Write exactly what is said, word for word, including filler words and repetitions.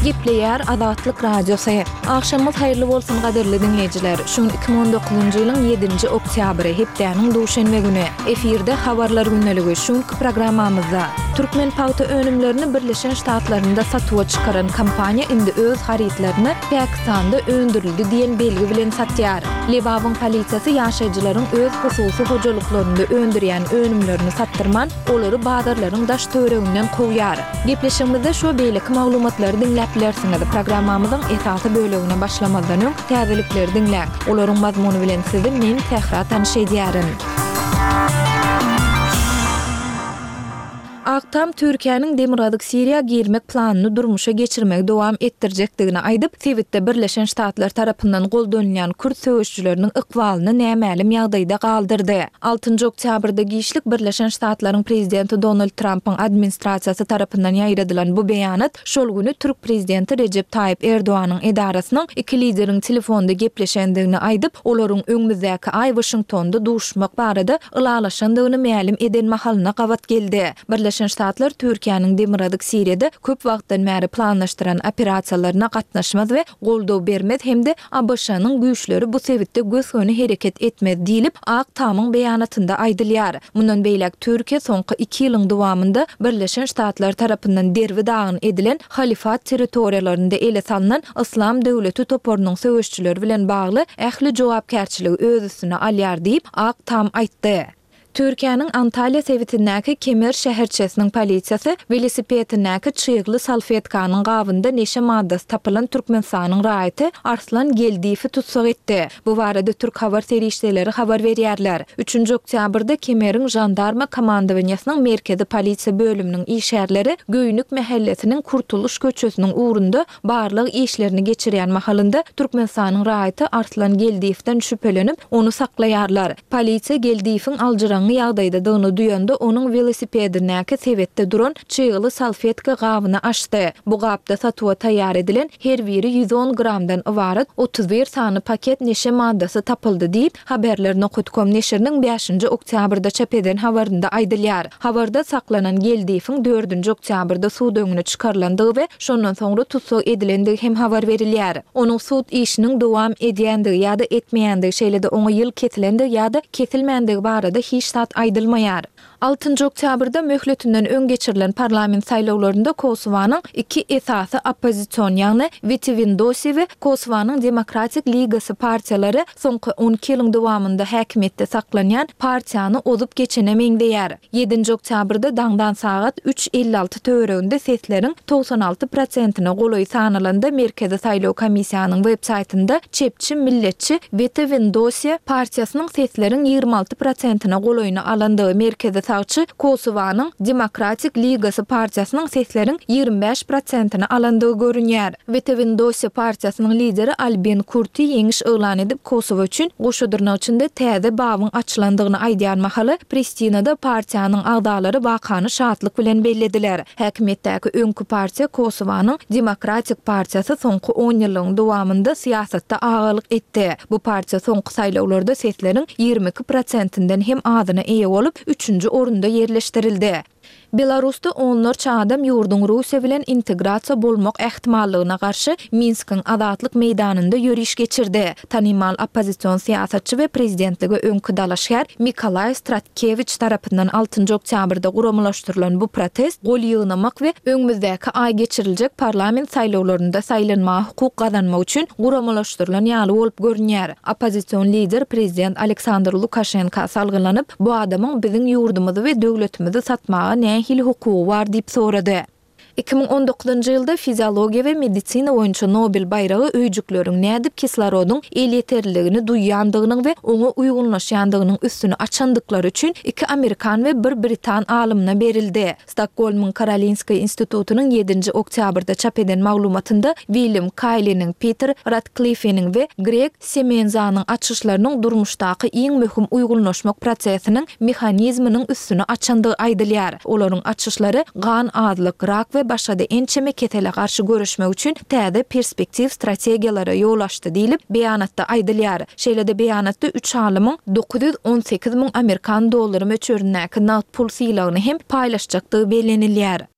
Gepleýär Azatlyk Radiosy. Agşamyňyz haýyrly bolsun gadyrly diňleýjiler. Şu gün iki müň on dokuzynjy ýylyň ýedinji oktýabry, hepdäniň duşenbe güni. Efirde Habarlar gündeligi. Şu günki programmamyzda Türkmen pagta önümlerini Birleşen Ştatlarynda satuwa çykaran kompaniýa indi öz harytlaryny Pakistanda öndürildi diýen belgi bilen satýar. Lebabyň polisiýasy ýaşaýjylaryň öz hususy hojalyklarynda öndürýän önümlerini satdyrman, olary bazarlaryň daş-töwereginden kowýar. Gepleşigimizde şu we beýleki maglumatlary diňläp bilersiňiz. Programmamyzyň esasy bölegine başlamazdan öň, täzelikleri diňläň. Olaryň mazmuny bilen sizi men, Sähra tanyş edýärin. Ak Tam Türkiýäniň Demirgazyk Siriýa girmek planyny durmuşa geçirmegi dowam etdirjekdigini aýdyp, sebitde Birleşen Ştatlar tarapyndan goldanylýan kürt söweşijileriniň ykbalyny nämälim ýagdaýda galdyrdy. Altynjy oktýabrda giçlik Birleşen Ştatlaryň prezidenti Donald Trampyň administrasiýasy tarapyndan ýaýradylan bu beýanat şol güni türk prezidenti Rejep Taýyp Erdoganyň edarasynyň iki lideriň telefonda gepleşendigini aýdyp, olaryň öňümizdäki aý Waşingtonda duşuşmak barada ylalaşandygyny mälim eden mahalyna gabat geldi. Birleşen Ştatlar Türkiýäniň Demirgazyk Siriýada köp wagtdan bäri planlaşdyran operasiýalaryna gatnaşmaz we goldaw bermez hem-de ABŞ-nyň güýçleri bu sebitde gös-göni hereket etmez diýlip, Ak Tamyň beýanatynda aýdylýar. Mundan beýläk Türkiýe soňky iki ýylyň dowamynda Birleşen Ştatlar tarapyndan derbi-dagyn edilen Halifat territoriýalarynda ele salnan Yslam döwleti toparynyň söweşçileri bilen bagly ähli jogapkärçiligi öz üstüne alýar diýip, Ak Tam aýtdy. Türkiýäniň Antalýa sebitindäki Kemer şäherçesiniň polisiýasy welosipedindäki çygly salfetkanyň gabynda neşe maddasy tapylan Türkmenistanyň raýaty Arslan Geldiýewi tussag etdi. Bu barada türk habar serişdeleri habar berýärler. Üçünji oktýabrda Kemeriň žandarma komandowaniýasynyň merkezi polisiýa bölüminiň işgärleri Göýnük mähellesiniň Kurtuluş köçesiniň ugrunda barlag işlerini geçirýän mahalynda Türkmenistanyň raýaty Arslan Geldiýewden şübhelenip, ony saklaýarlar. Polisiýa Geldiýewiň aljyraňňy ýagdaýdadygyny duýanda, onuň welosipedindäki sebetde duran çygly salfetka gabyny açdy. Bu gapda satuwa taýýar edilen, her biri ýüz on gramdan ybarat otuz bir sany paket neşe maddasy tapyldy diýip, Haberler nokat kom neşiriniň bäşinji oktýabrda çap eden habarynda aýdylýar. Habarda saklanan Geldiýewiň dördünji oktýabrda sud öňüne çykarylandygy we şondan soňra tussag edilendigi hem habar berilýär. Onuň sud işiniň dowam edýändigi ýa-da etmeýändigi, şeýle-de oňa ýyl kesilendigi ýa-da kesilmändigi barada hiç zat aýdylmaýar. Altynjy oktýabrda möhletinden öň geçirilen parlament saýlawlarynda Kosowanyň iki esasy oppozision, ýagny Wetewindosi we Kosowanyň Demokratik Ligasy partiýalary soňky on iki ýylyň dowamynda häkimiýetde saklanýan partiýany ozup geçene meňzeýär. Ýedinji oktýabrda daňdan sagat üç elli alty töwereginde sesleriň togsan alty prosentine golaýy sanalanda Merkezi saýlaw komissiýanyň web saýtynda çepçi milletçi Wetewindosiýa partiýasynyň sesleriň ýigrimi alty prosentine golaýyny alandygy, merkezi sagçy Kosowanyň Demokratik Ligasy partiýasynyň sesleriň ýigrimi bäş prosentini alandygy görünýär. Wetewindosiýa partiýasynyň lideri Albin Kurti ýeňiş yglan edip, Kosowa üçin goşa dyrnak içinde täze babyň açylandygyny aýdýan mahaly, Pristinada partiýanyň agzalary wakany şatlyk bilen bellediler. Häkimiýetdäki öňki partiýa Kosowanyň Demokratik partiýasy soňky onýyllygyň dowamynda syýasatda agalyk etdi. Bu partiýa soňky saýlawlarda sesleriň ýigrimi iki prosentinden hem azyna eýe bolup, üçünji orunda ýerleşdirildi. Belarusda onlarça adam ýurduň Russiýa bilen integrasiýa bolmak ähtimallygyna garşy Minskiň Azatlyk meýdanynda ýöriş geçirdi. Tanymal oppozision syýasatçy we prezidentlige öňki dalaşgär Mikolaý Stratkewiç tarapyndan altynjy oktýabrda guramalaşdyrylan bu protest gol ýygnamak we öňümizdäki aý geçiriljek parlament saýlawlarynda saýlanmaga hukuk gazanmak üçin guramalaşdyrylan ýaly bolup görünýär. Oppozision lider prezident Aleksandr Lukaşenka salgylanyp, Bu adamyň biziň ýurdumyzy we döwletimizi satmaga nähili hukugy bar diýip sorady. Iki müň on dokuzynjy ýylda fiziologiýa we medisina boýunça Nobel baýragy öýjükleriň nädip kislorodyň elýeterliligini duýýandygynyň we oňa uýgunlaşýandygynyň üstüni açandyklary üçin iki amerikan we bir britan alymyna berildi. Stokgolmyň Karolinska institutynyň ýedinji oktýabrda çap eden maglumatynda William Kaýliniň, Piter Ratklifeniň we Greg Semenzanyň açyşlarynyň durmuşdaky iň möhüm uýgunlaşmak prosesiniň mehanizminiň üstüni açandygy aýdylýar. Olaryň açyşlary gan azlyk, rak we başga-da ençeme kesele garşy göreşmek üçin täze perspektiw strategiýalara ýol açdy diýlip, beýanatda aýdylýar. Şeýle-de beýanatda üç alymyň dokuz ýüz on sekiz müň amerikan dollary möçberindäki nagt pul sylagyny hem paýlaşjakdygy bellenilýär.